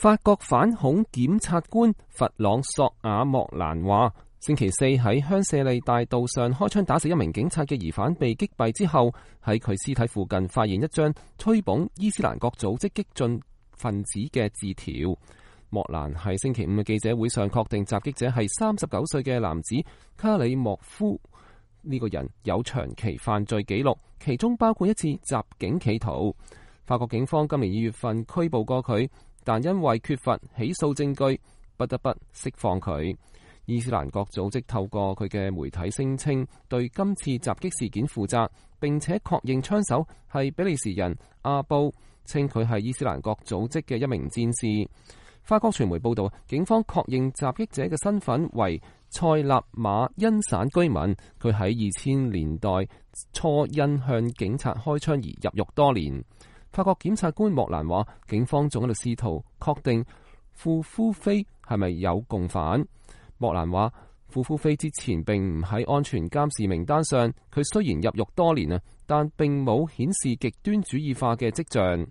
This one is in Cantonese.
法國反恐檢察官弗朗索瓦莫蘭話，星期四喺香榭麗大道上開槍打死一名警察嘅疑犯被擊斃之後，喺佢屍體附近發現一張吹捧伊斯蘭國組織激進分子嘅字條。莫蘭喺星期五嘅記者會上確定襲擊者係39歲嘅男子卡里莫夫。呢個人有長期犯罪記錄，其中包括一次襲警企圖。法國警方今年2月份拘捕過佢，但因為缺乏起訴證據，不得不釋放佢。伊斯蘭國組織透過佢嘅媒體聲稱對今次襲擊事件負責，並且確認槍手係比利時人阿布，稱佢係伊斯蘭國組織嘅一名戰士。法國傳媒報道，警方確認襲擊者嘅身份為塞納馬恩省居民，佢喺2000年代初因向警察開槍而入獄多年。法國檢察官莫蘭話，警方仲喺度試圖確定傅夫菲係咪有共犯。莫蘭話，傅夫菲之前並唔喺安全監視名單上，佢雖然入獄多年啊，但並冇顯示極端主義化嘅跡象。